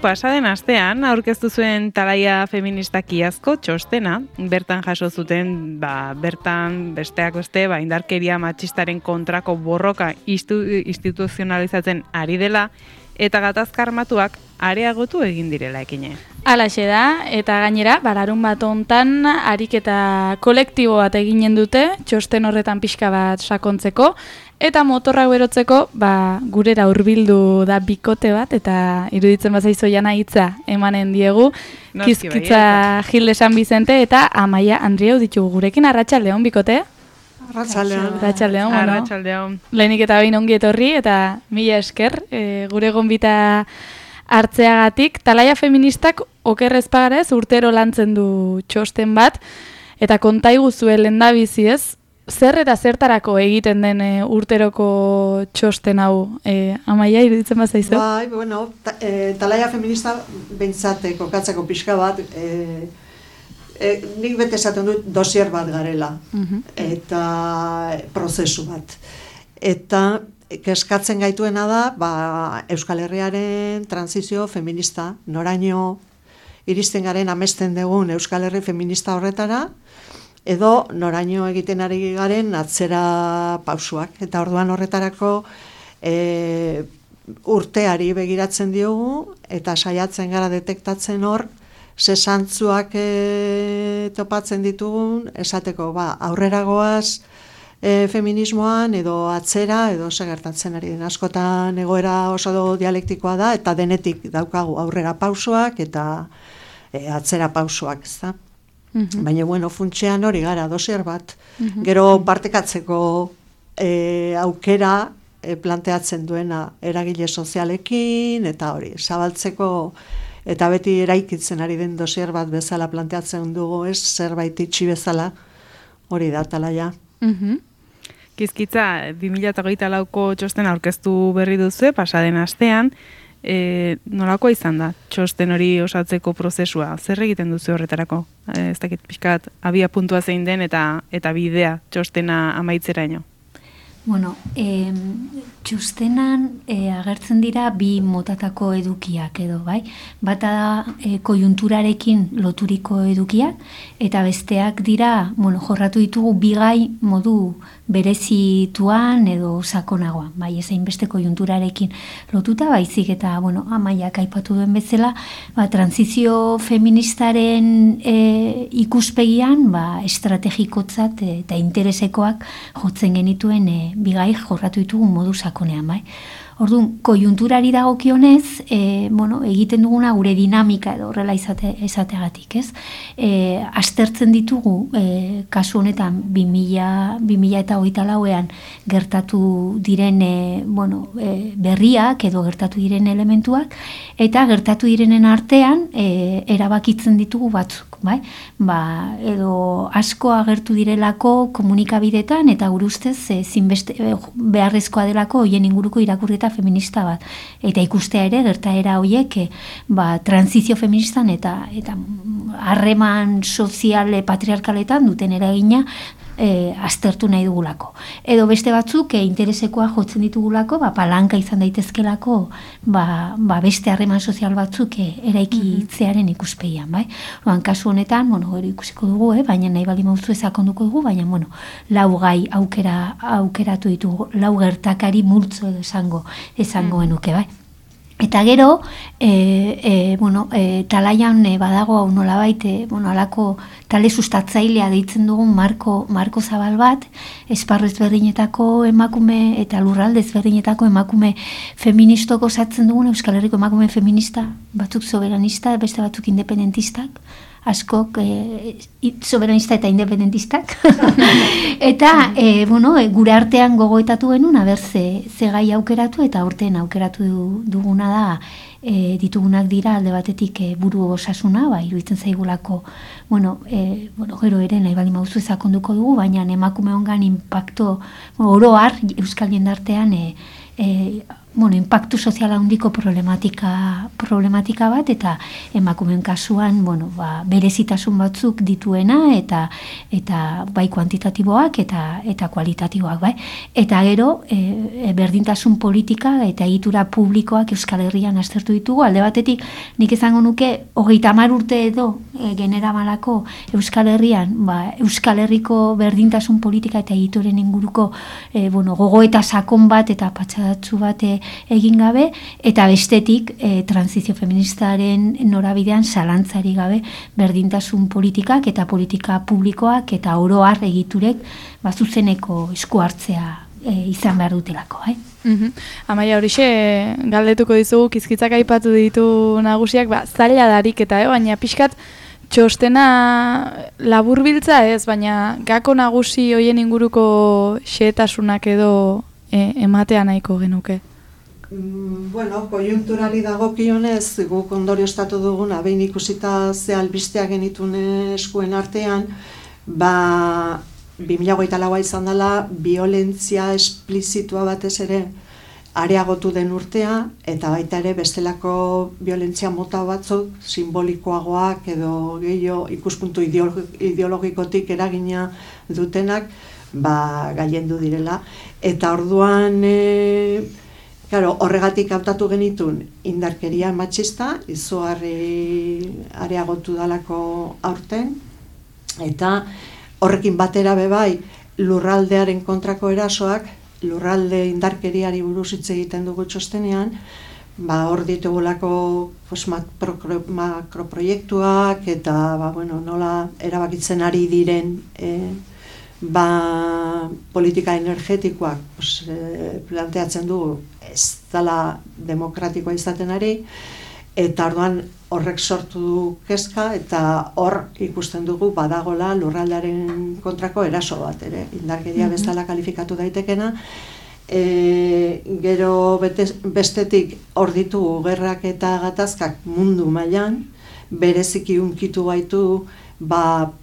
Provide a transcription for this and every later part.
Pasaden astean aurkeztu zuen Talaia feministak iazko txostena, bertan jaso zuten, bertan besteak beste, indarkeria matxistaren kontrako borroka instituzionalizatzen ari dela, eta gatazka armatuak areagotu egin direla ekine. Halaxe da, eta gainera, larun bat hontan ariketa kolektibo bat eginen dute, txosten horretan pixka bat sakontzeko, eta motorrak berotzeko, gurera hurbildu da bikote bat, eta iruditzen bazaizu jana hitza emanen diegu, Kizkitza Gilde San Bizente eta Amaia Andrieu ditugu gurekin. Arratsaldeon bikote? Arratsaldeon. Lehenik eta behin ongi etorri, eta mila esker, gure gonbita hartzeagatik. Talaia feministak okerrez pagarez urtero lantzen du txosten bat, eta kontaigu zuen lehendabizi ez, zer eta zertarako egiten den urteroko txosten hau, Amaia, iruditzen bazaizu? Talaia feminista behintzat kokatzeko pixka bat, nik bete esaten dut dosier bat garela, eta prozesu bat. Eta keskatzen gaituena da, Euskal Herriaren transizio feminista, noraino iristen garen amesten dugun Euskal Herri feminista horretara, edo noraino egiten ari garen atzera pausuak. Eta orduan horretarako urteari begiratzen diogu, eta saiatzen gara detektatzen hor, ze zantzuak topatzen ditugun, esateko aurrera goaz feminismoan, edo atzera, edo segertatzen ari den. Askotan egoera oso dialektikoa da, eta denetik daukagu aurrera pausuak, eta atzera pausuak, ez da? Baina, funtsean hori gara, dosier bat. Gero partekatzeko aukera planteatzen duena eragile sozialekin, eta hori, zabaltzeko, eta beti eraikitzen ari den dosier bat bezala planteatzen dugu, ez zerbait itxi bezala, hori da, Talaia. Kizkitza, 2024ko txosten aurkeztu berri duzu, pasaden astean, nolako izan da txosten hori osatzeko prozesua? Zer egiten duzu horretarako? Ez dakit pixkat abia puntua zein den eta bidea txostena amaitzeraino. Txostenan agertzen dira bi motatako edukiak edo, bai? Bata da koiunturarekin loturiko edukiak, eta besteak dira, jorratu ditugu bigai modu berezituan edo sakonagoan, bai, ezain beste koiunturarekin lotuta, baizik eta, Amaiak aipatu duen bezala, transizio feministaren ikuspegian, estrategikotzat eta interesekoak jotzen genituen bigai jorratu ditugu modu sakonean, bai. Orduan, koiunturari dagokionez, egiten duguna gure dinamika edo horrela izateagatik, ez? Aztertzen ditugu, kasu honetan, 2024ean gertatu diren berriak edo gertatu diren elementuak, eta gertatu direnen artean erabakitzen ditugu batzuk, bai? Edo asko agertu direlako komunikabidetan, eta gure ustez beharrezkoa delako hoien inguruko irakurketa feminista bat. Eta ikustea ere, gertaera horiek transizio feministan eta harreman sozial patriarkaletan duten eragina aztertu nahi dugulako. Edo beste batzuk interesekoa jotzen ditugulako, palanka izan daitezkelako beste harreman sozial batzuk eraikitzearen ikuspegian, bai? Kasu honetan, hori ikusiko dugu, baina nahi bali mauzu ezakonduko dugu, baina, lau gai aukeratu ditugu, lau gertakari multzo edo esango genuke, bai? Eta gero, Talaian badago hau nolabait, alako tale sustatzailea deitzen dugun marko zabal bat, esparru ezberdinetako emakume eta lurralde ezberdinetako emakume feministok osatzen dugun, Euskal Herriko emakume feminista, batzuk soberanista, beste batzuk independentistak, askok soberanista eta independentistak. Eta, gure artean gogoetatu genuen, ze gai aukeratu, eta urtean aukeratu duguna da, ditugunak dira alde batetik buru osasuna, iruditzen zaigulako, gero ere nahi bali mauzu ezakonduko dugu, baina emakume hongan impacto oroar Euskal jendartean impactu soziala handiko problematika bat, eta emakumeen kasuan, berezitasun batzuk dituena, eta bai kuantitatiboak eta kualitatiboak, bai. Eta gero, berdintasun politika eta egitura publikoak Euskal Herrian aztertu ditugu. Alde batetik, nik izango nuke, 30 urte edo generamalako Euskal Herrian, Euskal Herriko berdintasun politika eta egituren inguruko gogo eta sakon bat eta patxadatzu bat egin gabe, eta bestetik transizio feministaren norabidean zalantzari gabe berdintasun politikak eta politika publikoak eta oro har egiturek zuzeneko esku hartzea izan behar dutelako. Amaia, horixe galdetuko dizugu, Kizkitzak aipatu ditu nagusiak, zaila darik eta, baina pixkat txostena laburbiltza ez, baina gako nagusi hoien inguruko xehetasunak edo ematea nahiko genuke. Koiunturari dagokionez, guk ondorioztatu duguna, behin ikusita ze albisteak genitun eskuen artean, 2024 izan dela, violentzia esplizitua batez ere areagotu den urtea, eta baita ere bestelako violentzia mota batzuk, simbolikoagoak edo gehiago ikuspuntu ideologikotik eragina dutenak, gailendu direla. Eta orduan, horregatik hautatu genitun indarkeria matxista, izugarri areagotu dalako aurten, eta horrekin batera bebai lurraldearen kontrako erasoak, lurralde indarkeriari buruz hitz egiten dugu txostenean, hor ditugulako makroproiektuak eta nola erabakitzen ari diren politika energetikoak planteatzen dugu ez dela demokratikoa izaten ari, eta orduan horrek sortu du kezka, eta hor ikusten dugu badagola lurraldearen kontrako eraso bat ere, indarkeria bezala kalifikatu daitekena. Gero bestetik hor ditugu gerrak eta gatazkak mundu mailan, bereziki hunkitu gaitu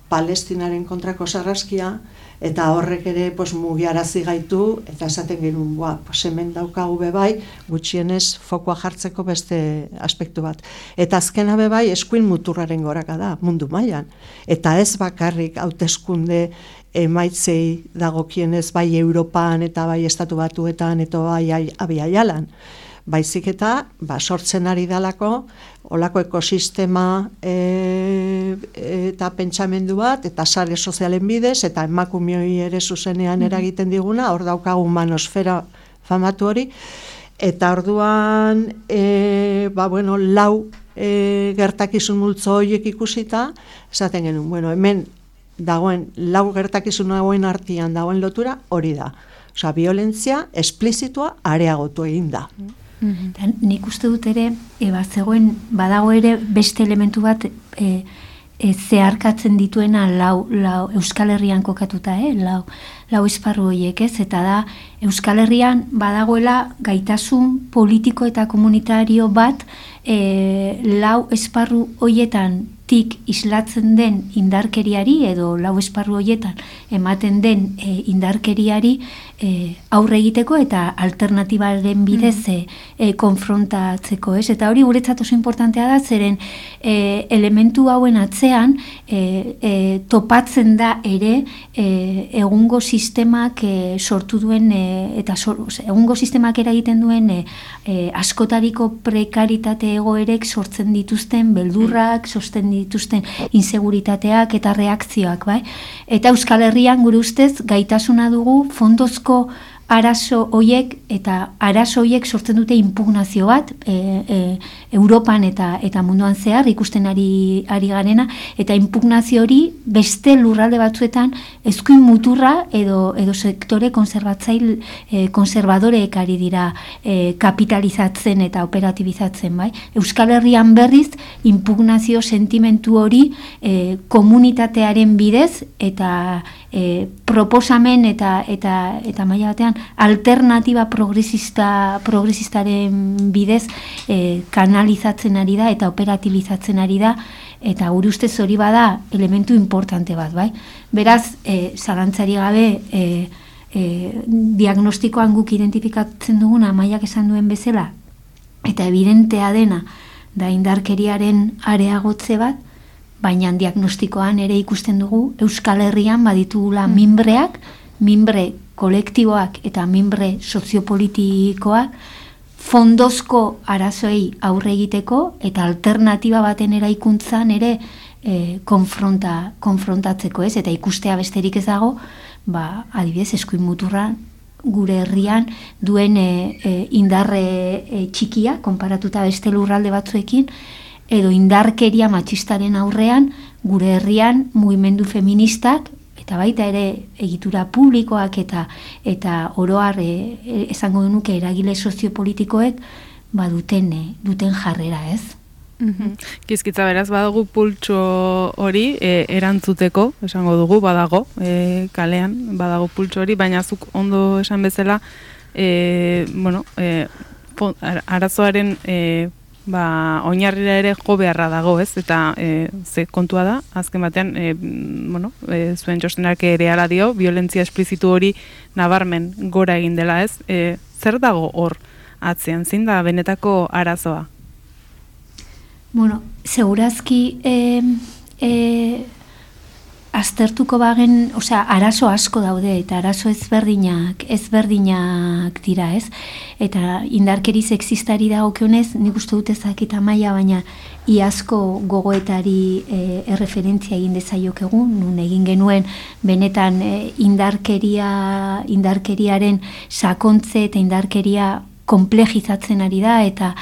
Palestinaren kontrako sarraskia, eta horrek ere mugiarazi gaitu, eta esaten genuen, hemen daukagu bebai, gutxienez fokoa jartzeko beste aspektu bat. Eta azkena bebai, eskuin muturraren goraka da, mundu mailan. Eta ez bakarrik hauteskunde emaitzei dagokienez bai Europan eta bai Estatu Batuetan eta bai Abiaialan. Baizik eta sortzen ari dalako, olako ekosistema eta pentsamendu bat, eta sare sozialen bidez, eta emakumeoi ere zuzenean eragiten diguna, hor daukagu manosfera famatu hori, eta orduan, lau gertakizun multzo horiek ikusita, esaten genuen, hemen dagoen, lau gertakizun hauen artean dagoen lotura hori da. Osa, violentzia esplizitua areagotu egin da. Nik uste dut ere, zegoen badago ere beste elementu bat zeharkatzen dituena lau Euskal Herrian kokatuta, lau esparru horiek, ez? Eta da, Euskal Herrian badagoela gaitasun politiko eta komunitario bat lau esparru horietan tik islatzen den indarkeriari edo lau esparru horietan ematen den indarkeriari aurre egiteko eta alternatibaren bidez konfrontatzeko, ez? Eta hori guretzat oso importantea da, zeren elementu hauen atzean topatzen da ere egungo sistemak sortu duen eta egungo sistemak eragiten duen askotariko prekaritate egoerek sortzen dituzten beldurrak, sortzen dituzten inseguritateak eta reakzioak, bai? Eta Euskal Herrian gure ustez gaitasuna dugu fondozko arazo hoiek eta arazo hoiek sortzen dute impugnazio bat Europan eta munduan zehar ikusten ari garena, eta impugnazio hori beste lurralde batzuetan eskuin muturra edo sektore konservadoreek ari dira kapitalizatzen eta operatibizatzen, bai? Euskal Herrian berriz impugnazio sentimentu hori komunitatearen bidez eta proposamen eta maila batean alternatiba progresistaren bidez kanalizatzen ari da eta operatibizatzen ari da, eta gure ustez hori bada elementu importante bat, bai? Beraz, zalantzari gabe diagnostikoan guk identifikatzen duguna Amaiak esan duen bezala, eta evidentea dena da indarkeriaren areagotze bat, baina diagnostikoan ere ikusten dugu Euskal Herrian baditugula minbre kolektiboak eta minbre soziopolitikoak fondozko arazoei aurre egiteko eta alternatiba baten eraikuntzan ere konfrontatzeko, ez? Eta ikustea besterik ez dago, adibidez, eskuin muturra gure herrian duen indarre txikia, konparatuta beste lurralde batzuekin, edo indarkeria matxistaren aurrean gure herrian mugimendu feministak, eta baita ere egitura publikoak eta oroar esango genuke eragile soziopolitikoek duten jarrera, ez? Kizkitza beraz, badago pultso hori erantzuteko, esango dugu, badago, kalean, badago pultso hori, baina zuk ondo esan bezala, arazoaren oinarrira ere jo beharra dago, ez? Eta ze kontua da, azken batean, zuen txostenak ere ala dio, violentzia esplizitu hori nabarmen gora egin dela, ez? Zer dago hor atzean, zein da benetako arazoa? Bueno, segurazki aztertuko bagen, arazo asko daude eta arazo ezberdinak dira, ez? Eta indarkeri sexistari dagokionez, nik uste dut ezakit Amaia, baina iazko gogoetari erreferentzia egin dezaiokegu, nun egin genuen benetan indarkeriaren sakontze eta indarkeria komplejizatzen ari da eta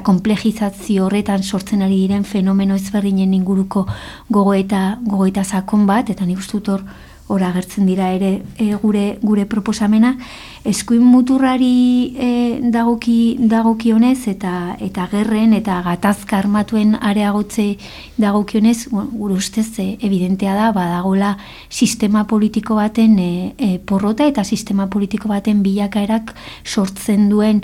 komplejizazio horretan sortzen ari diren fenomeno ezberdinen inguruko gogoeta sakon bat, eta nik uste dut hor agertzen dira ere gure proposamena. Eskuin muturrari dagokionez eta gerren eta gatazka armatuen areagotze dagokionez, gure ustez evidentea da badagola sistema politiko baten porrota eta sistema politiko baten bilakaerak sortzen duen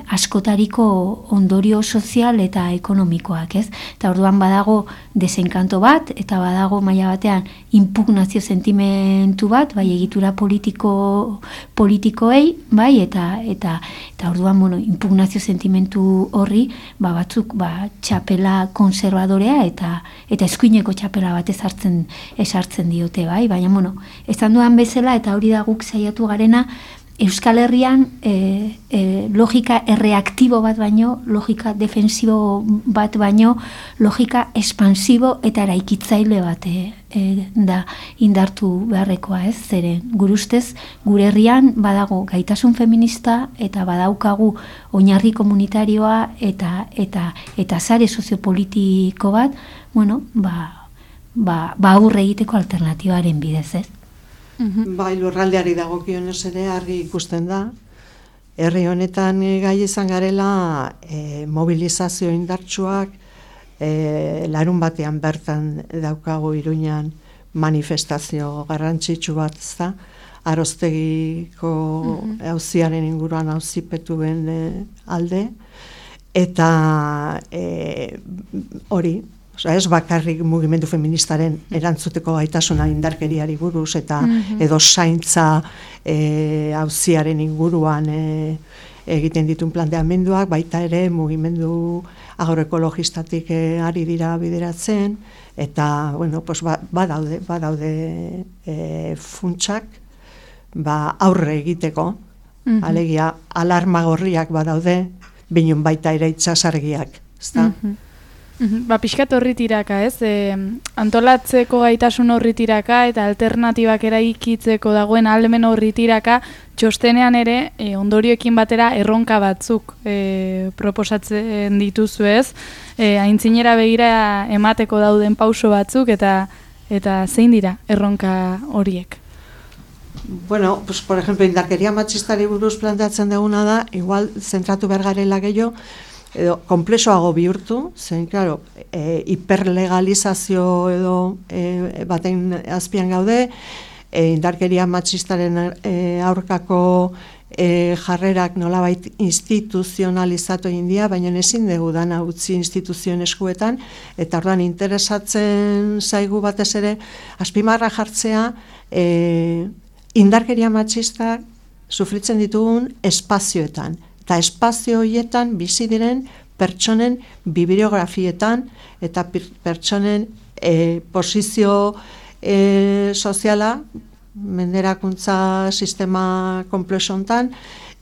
askotariko ondorio sozial eta ekonomikoak, ez? Eta orduan badago desenkanto bat eta badago maila batean impugnazio sentimentu bat, bai egitura politikoei, bai, eta orduan, impugnazio sentimentu horri, batzuk, txapela konservadorea eta eskuineko txapela bat esartzen diote, bai, baina, esan duan bezala, eta hori da guk saiatu garena, Euskal Herrian logika erreaktibo bat baino, logika defensibo bat baino, logika espansibo eta eraikitzaile bat da indartu beharrekoa, ez? Zeren, gure ustez, gure herrian badago gaitasun feminista eta badaukagu oinarri komunitarioa eta sare soziopolitiko bat, aurre egiteko alternatibaren bidez, ez? Bai, lurraldeari dagokionez ere argi ikusten da. Herri honetan gai izan garela mobilizazio indartsuak, larun batean bertan daukagu Iruñan manifestazio garrantzitsu bat, ezta? Aroztegiko auziaren inguruan auzipetuen alde, eta hori, ez bakarrik mugimendu feministaren erantzuteko gaitasuna indarkeriari buruz eta edo zaintza auziaren inguruan egiten dituen planteamenduak, baita ere mugimendu agroekologistatik ari dira bideratzen, eta badaude funtsak aurre egiteko, alegia alarma gorriak badaude, binun baita ere itsasargiak, ezta? Pixkat horri tiraka, ez? Antolatzeko gaitasun horri tiraka eta alternatibak eraikitzeko dagoen ahalmen horri tiraka, txostenean ere ondorioekin batera erronka batzuk proposatzen dituzu, ez? Aintzinera begira emateko dauden pauso batzuk eta zein dira erronka horiek? Bueno, pues por ejemplo, indarkeria matxistari buruz planteatzen duguna da, igual zentratu behar garela gehiago, edo konplexoago bihurtu, zen, claro, hiperlegalizazio edo baten azpian gaude, indarkeria matxistaren aurkako jarrerak nolabait instituzionalizatu egin dira, baina ezin dugu dana utzi instituzioen eskuetan, eta orduan interesatzen zaigu batez ere, azpimarra jartzea indarkeria matxistak sufritzen ditugun espazioetan. Eta espazio horietan bizi diren pertsonen bibliografietan eta pertsonen posizio soziala, menderakuntza sistema komplexontan,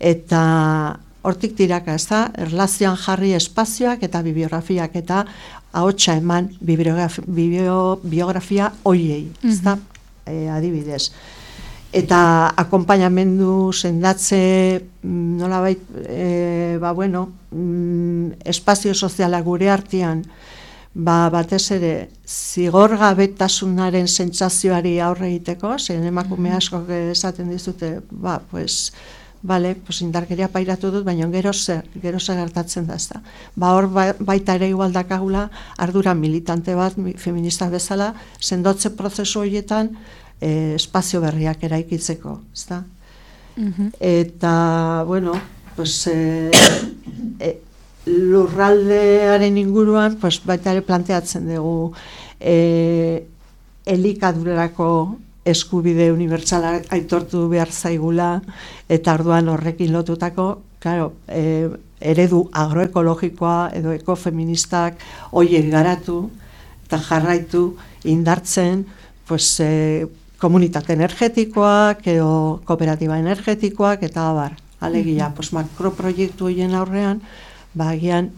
eta hortik tiraka, ez da, erlazioan jarri espazioak eta bibliografiak eta ahotsa eman biografia hoiei, ez da, adibidez. Eta akonpainamendu sendatze nolabait espazio soziala gure artean batez ere zigorgabetasunaren sentsazioari aurre egiteko, zen emakume askok esaten dizute, indarkeria pairatu dut, baina gero zer gertatzen da, ezta. Hor baita ere igual dakagula ardura militante bat feminista bezala sendotze prozesu horietan espazio berriak eraikitzeko, ezta? Eta, lurraldearen inguruan, baita ere planteatzen dugu elikadurarako eskubide unibertsala aitortu behar zaigula, eta orduan horrekin lotutako, eredu agroekologikoa edo ekofeministak horiek garatu eta jarraitu indartzen, komunitate energetikoak edo kooperatiba energetikoak eta abar. Alegia, makroproiektu horien aurrean, agian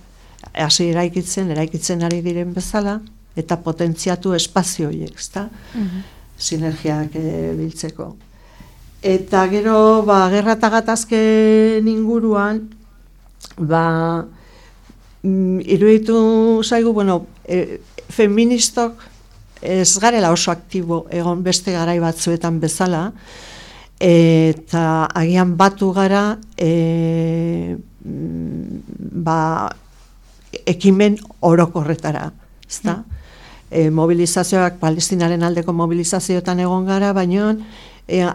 hasi eraikitzen ari diren bezala, eta potentziatu espazio horiek, ezta? Sinergiak biltzeko. Eta gero, gerra eta gatazken inguruan, iruditu zaigu, feministok ez garela oso aktibo egon beste garai batzuetan bezala, eta agian batu gara ekimen orokorretara, ezta? Mobilizazioak, Palestinaren aldeko mobilizazioetan egon gara, baina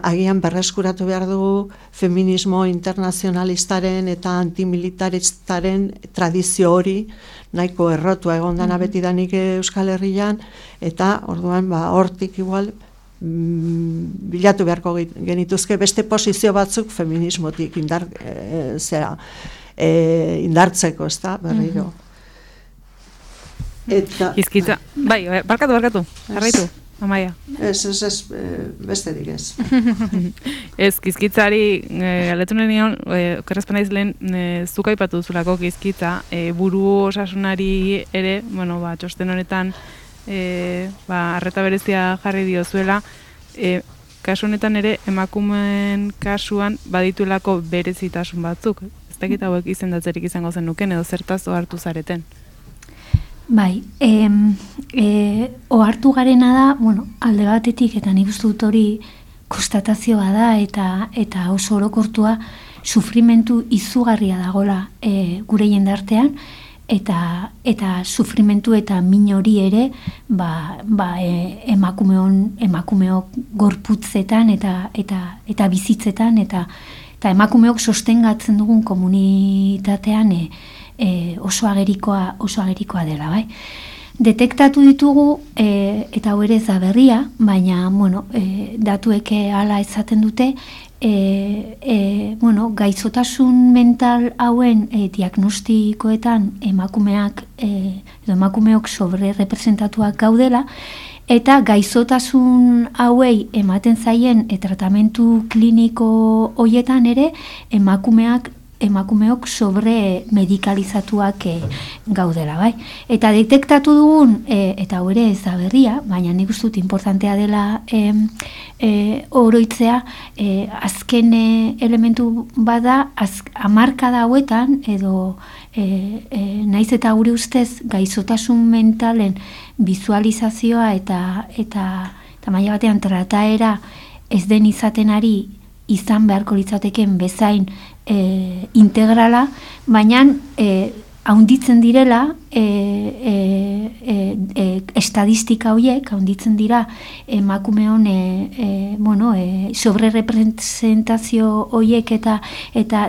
agian berreskuratu behar dugu feminismo internazionalistaren eta antimilitaristaren tradizio hori nahiko errotua egon dana betidanik Euskal Herrian, eta orduan hortik igual bilatu beharko genituzke beste posizio batzuk feminismotik indartzeko, ezta, berriro. Izkitza, barkatu, jarraitu, Amaia. Ez, besterik ez. Ez, Kizkitzari, galetu nion, okerrezpana izlen, zuk aipatu duzulako Kizkitza, buru osasunari ere, txosten honetan, arreta berezia jarri diozuela, kasu honetan ere, emakumeen kasuan badituelako berezitasun batzuk. Ez dakit hauek izendatzerik izango zen nuken, edo zertaz ohartu zareten. Bai, ohartu garena da, alde batetik, eta nik uste dut hori konstatazioa da, eta oso orokortua sufrimentu izugarria dagola gure jendartean, eta sufrimentu eta min hori ere emakumeok gorputzetan eta bizitzetan, eta emakumeok sostengatzen dugun komunitatean oso agerikoa dela, bai. Detektatu ditugu, eta hau ere ez da berria, baina, datuek hala esaten dute, gaixotasun mental hauen diagnostikoetan emakumeok sobre representatuak gaudela, eta gaixotasun hauei ematen zaien tratamentu kliniko hoietan ere emakumeok sobre medikalizatuak gaudela, bai. Eta detektatu dugun, eta hau ere ez da berria, baina nik uste dut importantea dela oroitzea, azken elementu bada, hamarkada hauetan, edo naiz eta gure ustez gaixotasun mentalen bizualizazioa eta maila batean trataera ez den izaten ari izan beharko litzateken bezain integrala, baina haunditzen direla estadistika horiek, handitzen dira emakumeon sobrerepresentazio horiek eta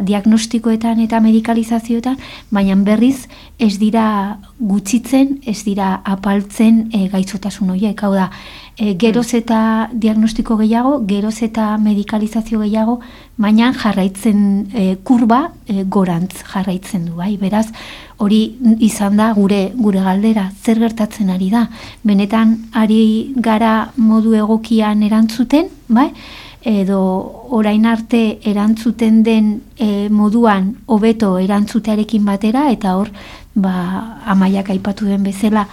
diagnostikoetan eta medikalizazioetan, baina berriz ez dira gutxitzen, ez dira apaltzen gaitzotasun horiek. Hau da, geroz eta diagnostiko gehiago, geroz eta medikalizazio gehiago, baina jarraitzen kurba gorantz jarraitzen du, bai? Beraz, hori izan da gure galdera, zer gertatzen ari da? Benetan ari gara modu egokian erantzuten, bai? Edo orain arte erantzuten den moduan hobeto erantzutearekin batera, eta hor, Amaiak aipatu den bezala,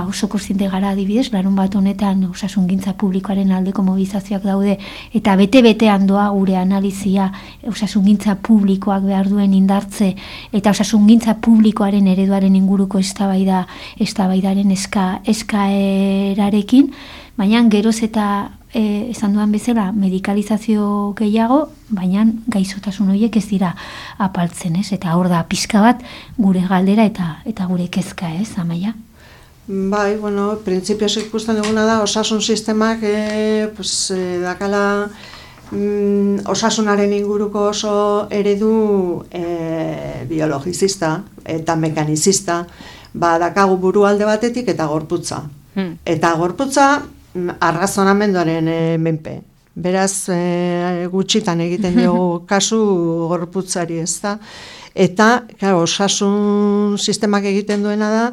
oso kontziente gara adibidez, larunbat honetan osasungintza publikoaren aldeko mobilizazioak daude, eta bete-betean doa gure analizia osasungintza publikoak behar duen indartze, eta osasungintza publikoaren ereduaren inguruko eztabaidaren eskaerarekin, baina geroz eta esan duan bezala medikalizazio gehiago, baina gaixotasun horiek ez dira apaltzen, ez? Eta hor da pixka bat gure galdera eta gure kezka, ez, Amaia? Bai, printzipioz ikusten duguna da, osasun sistemak dakala osasunaren inguruko oso eredu biologizista eta mekanizista, dakagu burualde batetik eta gorputza. Eta gorputza arrazonamenduaren menpe. Beraz, gutxitan egiten dugu kasu gorputzari, ez da? Eta, osasun sistemak egiten duena da,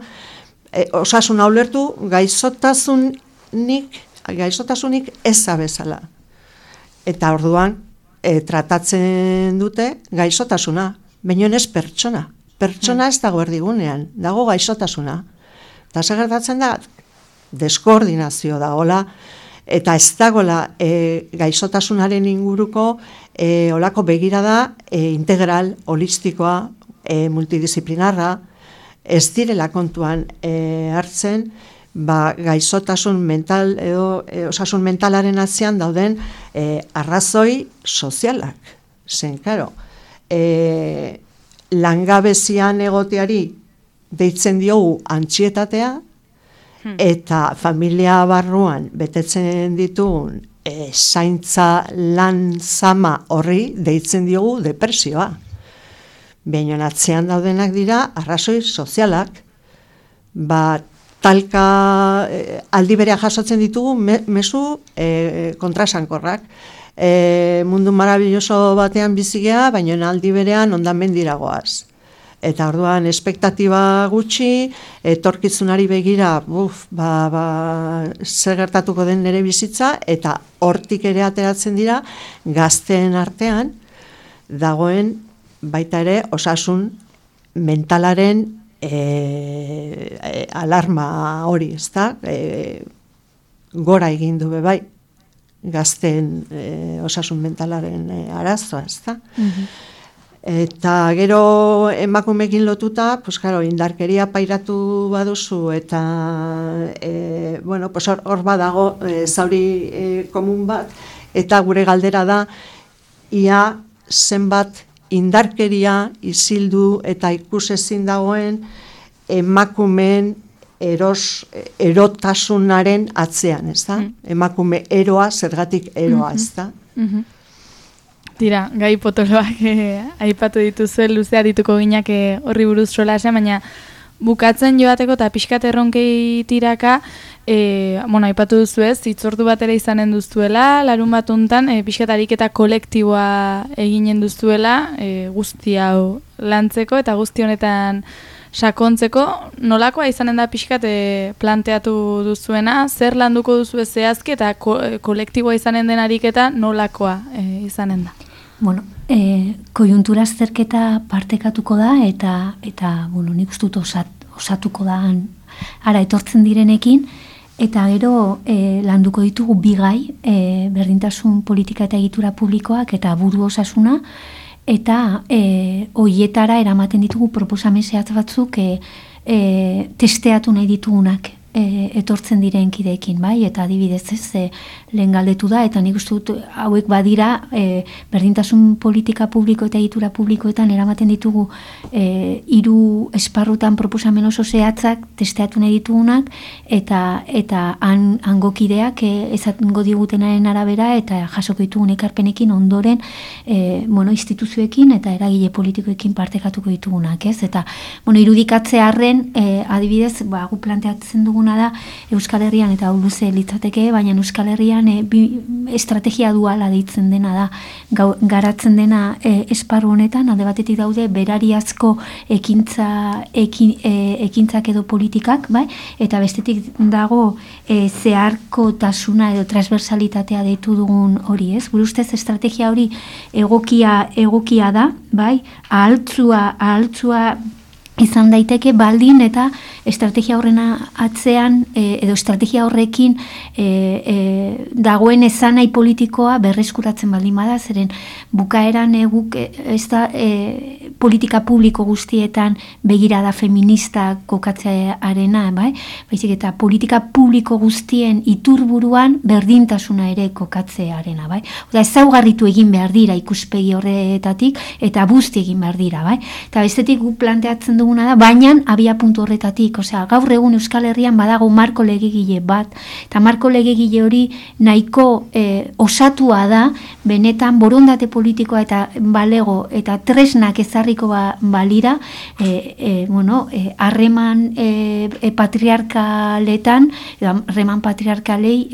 osasuna ulertu gaixotasunik eza bezala. Eta orduan, tratatzen dute gaixotasuna, baina ez pertsona. Pertsona ez dago erdigunean, dago gaixotasuna. Eta zer gertatzen da, deskoordinazio dagoela, eta ez dagoela gaixotasunaren inguruko olako begirada integral, holistikoa, multidisciplinarra, ez direla kontuan hartzen, gaixotasun mental edo osasun mentalaren atzean dauden arrazoi sozialak. Zen, karo, langabezian egoteari deitzen diogu antsietatea, eta familia barruan betetzen ditugun zaintza lan zama horri deitzen diogu depresioa. Baina atzean daudenak dira arrazoi sozialak, talka aldi berea jasotzen ditugu mezu kontrasankorrak. Mundu marabilloso batean bizigea, baina aldi berean hondamendira goaz. Eta orduan espektatiba gutxi, etorkizunari begira, zer gertatuko den nire bizitza, eta hortik ere ateratzen dira, gazteen artean, dagoen baita ere osasun mentalaren alarma hori, ez da? Gora egin du bai, gazteen osasun mentalaren arazoa, ez da? Eta gero emakumekin lotuta, indarkeria pairatu baduzu, eta hor badago zauri komun bat, eta gure galdera da, ia zenbat indarkeria isildu eta ikusezin dagoen emakumeen erotasunaren atzean, ez da? Emakume eroa, zergatik eroa, ez da? Tira, gai potoloak aipatu dituzue, luzea dituko ginak horri buruz solasean, baina bukatzen joateko eta pixkat erronkei tiraka, aipatu duzuez, hitzordu bat ere izanen duzuela, larun bat untan, pixkat ariketa kolektiboa eginen duzuela, guzti hau lantzeko eta guzti honetan sakontzeko, nolakoa izanen da pixkat planteatu duzuena, zer landuko duzue zehazki eta kolektiboa izanen den ariketa nolakoa izanen da? Koiuntura azterketa partekatuko da eta nik uste dut osatuko da ara etortzen direnekin, eta gero landuko ditugu bi gai, berdintasun politika eta egitura publikoak eta buru osasuna, eta hoietara eramaten ditugu proposamen zehatz batzuk testeatu nahi ditugunak. etortzen diren kideekin, bai, eta adibidez lehen galdetu da, eta nik uste dut hauek badira berdintasun politika publiko eta egitura publikoetan eramaten ditugu 3 esparrutan proposamen oso zehatzak testeatu nahi ditugunak, eta hango kideak ezatengo digutenaren arabera eta jasoko ditugun ekarpenekin ondoren instituzioekin eta eragile politikoekin partekatuko ditugunak, ez? Eta irudikatzearren adibidez, gu planteatzen duguna da Euskal Herrian, eta hau luze litzateke, baina Euskal Herrian estrategia duala deitzen dena da, garatzen dena esparru honetan, alde batetik daude berariazko ekintzak edo politikak, bai? Eta bestetik dago zeharkotasuna edo transversalitatea deitu dugun hori, ez? Gure ustez estrategia hori egokia da, bai? Ahaltzua izan daiteke baldin eta estrategia horrena atzean edo estrategia horrekin dagoen esanai politikoa berreskuratzen baldin bada, zeren bukaeran guk ez da politika publiko guztietan begirada feminista kokatzearena, bai? Baizik eta politika publiko guztien iturburuan berdintasuna ere kokatzearena, bai? Oda ezaugarritu egin behar dira ikuspegi horretatik eta busti egin behar dira, bai? Eta bestetik guk planteatzen duguna da, baina abia puntu horretatik, osea, gaur egun Euskal Herrian badago marko legegile bat, eta marko legegile hori nahiko osatua da, benetan borondate politikoa eta balego eta tresnak ezarriko balira, harreman patriarkaletan, harreman patriarkalei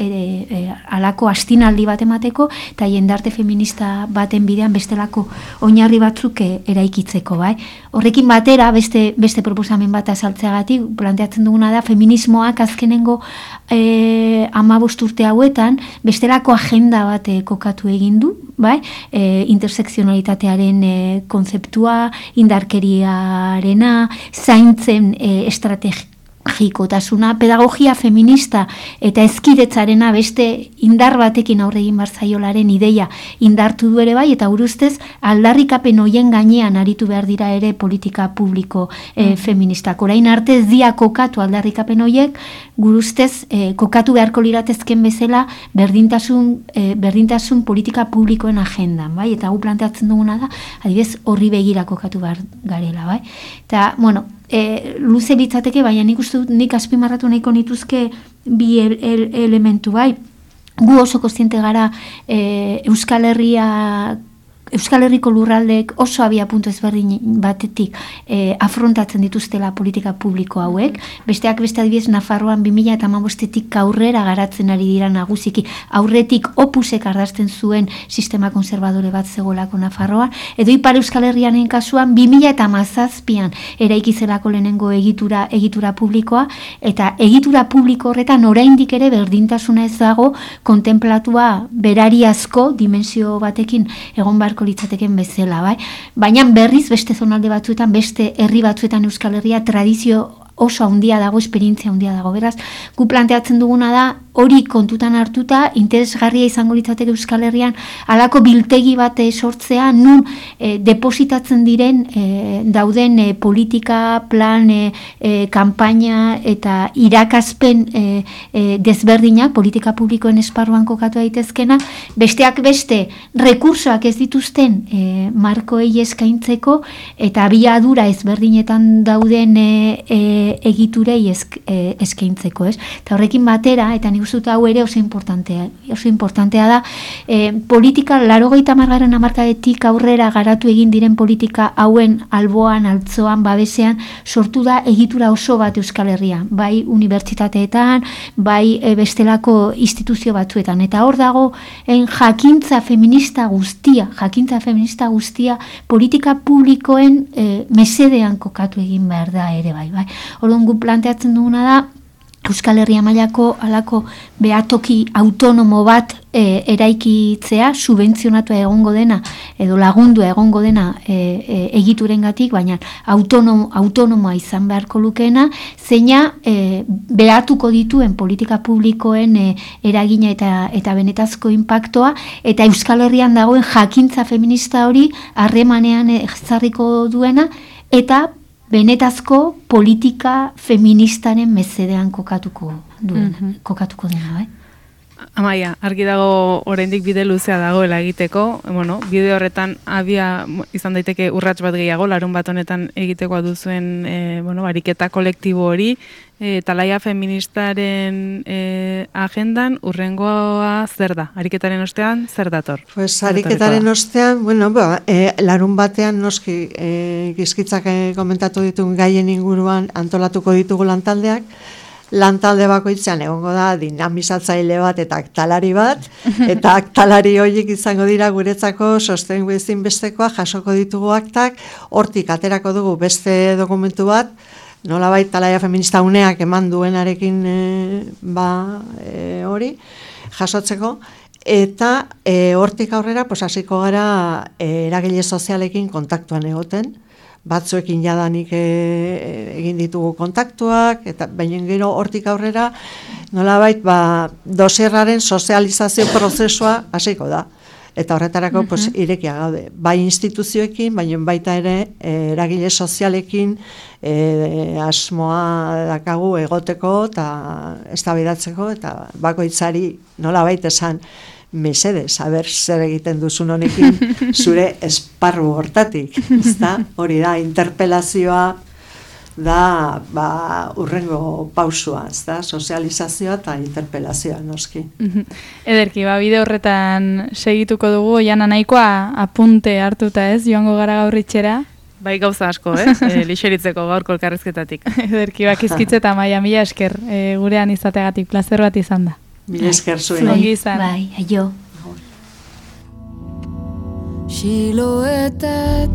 alako astinaldi bat emateko, eta jendarte feminista baten bidean bestelako oinarri batzuk eraikitzeko, bai? Horrekin batera, beste proposamen bat azaltzeagatik, planteatzen duguna da, feminismoak azkenengo 15 urte hauetan, bestelako agenda bat kokatu egin du, bai? Intersekzionalitatearen kontzeptua, indarkeriarena, zaintzen estrategikotasuna, pedagogia feminista eta hezkidetzarena beste indar batekin aurre egin barzaiolaren ideia indartu du ere bai, eta urustez aldarrikapen hoien gainean aritu behar dira ere politika publiko feministak. Orain arte ez dia kokatu aldarrikapen hoiek, gurustez kokatu beharko liratezken bezala berdintasun politika publikoen agendan, bai? Eta gu planteatzen duguna da, adibidez horri begira kokatu behar garela, bai? Eta, luze litzateke, baina nik uste dut nik azpimarratu nahiko nituzke bi elementu, bai? Gu oso kontziente gara Euskal Herriko lurraldeek oso abia puntu ezberdin batetik afrontatzen dituztela politika publiko hauek. Besteak beste adibidez Nafarroan 2015-tik aurrera garatzen ari dira nagusiki. Aurretik Opusek ardazten zuen sistema konservadore bat zegoelako Nafarroan, edo Ipar Euskal Herrianen kasuan 2017an eraikizelako lehenengo egitura publikoa, eta egitura publiko horretan oraindik ere berdintasuna ez dago kontemplatua berariazko dimensio batekin egon beharko litzateken bezala, bai? Baina berriz beste zonalde batzuetan, beste herri batzuetan Euskal Herria tradizio oso handia dago, esperientzia handia dago. Beraz, gu planteatzen duguna da, hori kontutan hartuta, interesgarria izango litzateke Euskal Herrian, halako biltegi bat sortzea, nun depositatzen diren dauden politika, plan, kanpaina eta irakaspen desberdinak, politika publikoen esparruan kokatu daitezkena, besteak beste rekursoak ez dituzten markoei eskaintzeko, eta abiadura ezberdinetan dauden egiturei eskaintzeko, ez? Eta horrekin batera, eta nik uste hau ere oso importantea da, politika 80. hamarkadetik aurrera garatu egin diren politika hauen alboan, altzoan, babesean, sortu da egitura oso bat Euskal Herrian, bai unibertsitateetan, bai bestelako instituzio batzuetan, eta hor dago jakintza feminista guztia politika publikoen mesedean kokatu egin behar da ere bai. Orduan gu planteatzen duguna da, Euskal Herria mailako halako behatoki autonomo bat eraikitzea, subentzionatua egongo dena, edo lagundua egongo dena egiturengatik, baina autonomoa izan beharko lukeena, zeina behatuko dituen politika publikoen eragina eta benetazko inpaktoa, eta Euskal Herrian dagoen jakintza feminista hori harremanean ezarriko duena, eta benetazko politika feministaren mesedean kokatuko dena, bai? Amaia, argi dago oraindik bide luzea dagoela egiteko, bueno, bide horretan izan daiteke urrats bat gehiago, larun bat honetan egiteko duzuen, ariketa kolektibo hori, talaia feministaren agendan urrengoa zer da? Ariketaren ostean zer dator? Pues ariketaren ostean, larun batean noski gizkitzak komentatu ditugun gaien inguruan antolatuko ditugu lantaldeak, lantalde bakoitzean egongo da dinamizatzaile bat eta aktalari bat, eta aktalari horiek izango dira guretzako sostengu ezinbestekoa, jasoko ditugu aktak, hortik aterako dugu beste dokumentu bat, nolabait talaia feminista uneak eman duenarekin hori jasotzeko, eta hortik aurrera hasiko gara eragile sozialekin kontaktuan egoten, batzuekin jadanik egin ditugu kontaktuak, eta baina gero hortik aurrera nolabait dosierraren sozializazio prozesua hasiko da. Eta horretarako irekia gaude. Bai instituzioekin, baina baita ere eragile sozialekin asmoa dakagu egoteko eta eztabaidatzeko eta bakoitzari nolabait esan mesedez, zer egiten duzun honekin zure esparru hortatik, ezta? Hori da, interpelazioa da urrengo pausua, ezta? Sozializazioa eta interpelazioa, noski. Ederki, bide horretan segituko dugu, Oiana nahikoa apunte hartuta ez, joango gara gaur itxera. Bai gauza asko, lixeritzeko gaurko elkarrizketatik. Ederki, bakizkitze eta Amaia, mila esker gurean izateagatik, plazer bat izan da. Mila esker zuen. Bai, aio. Siloetatik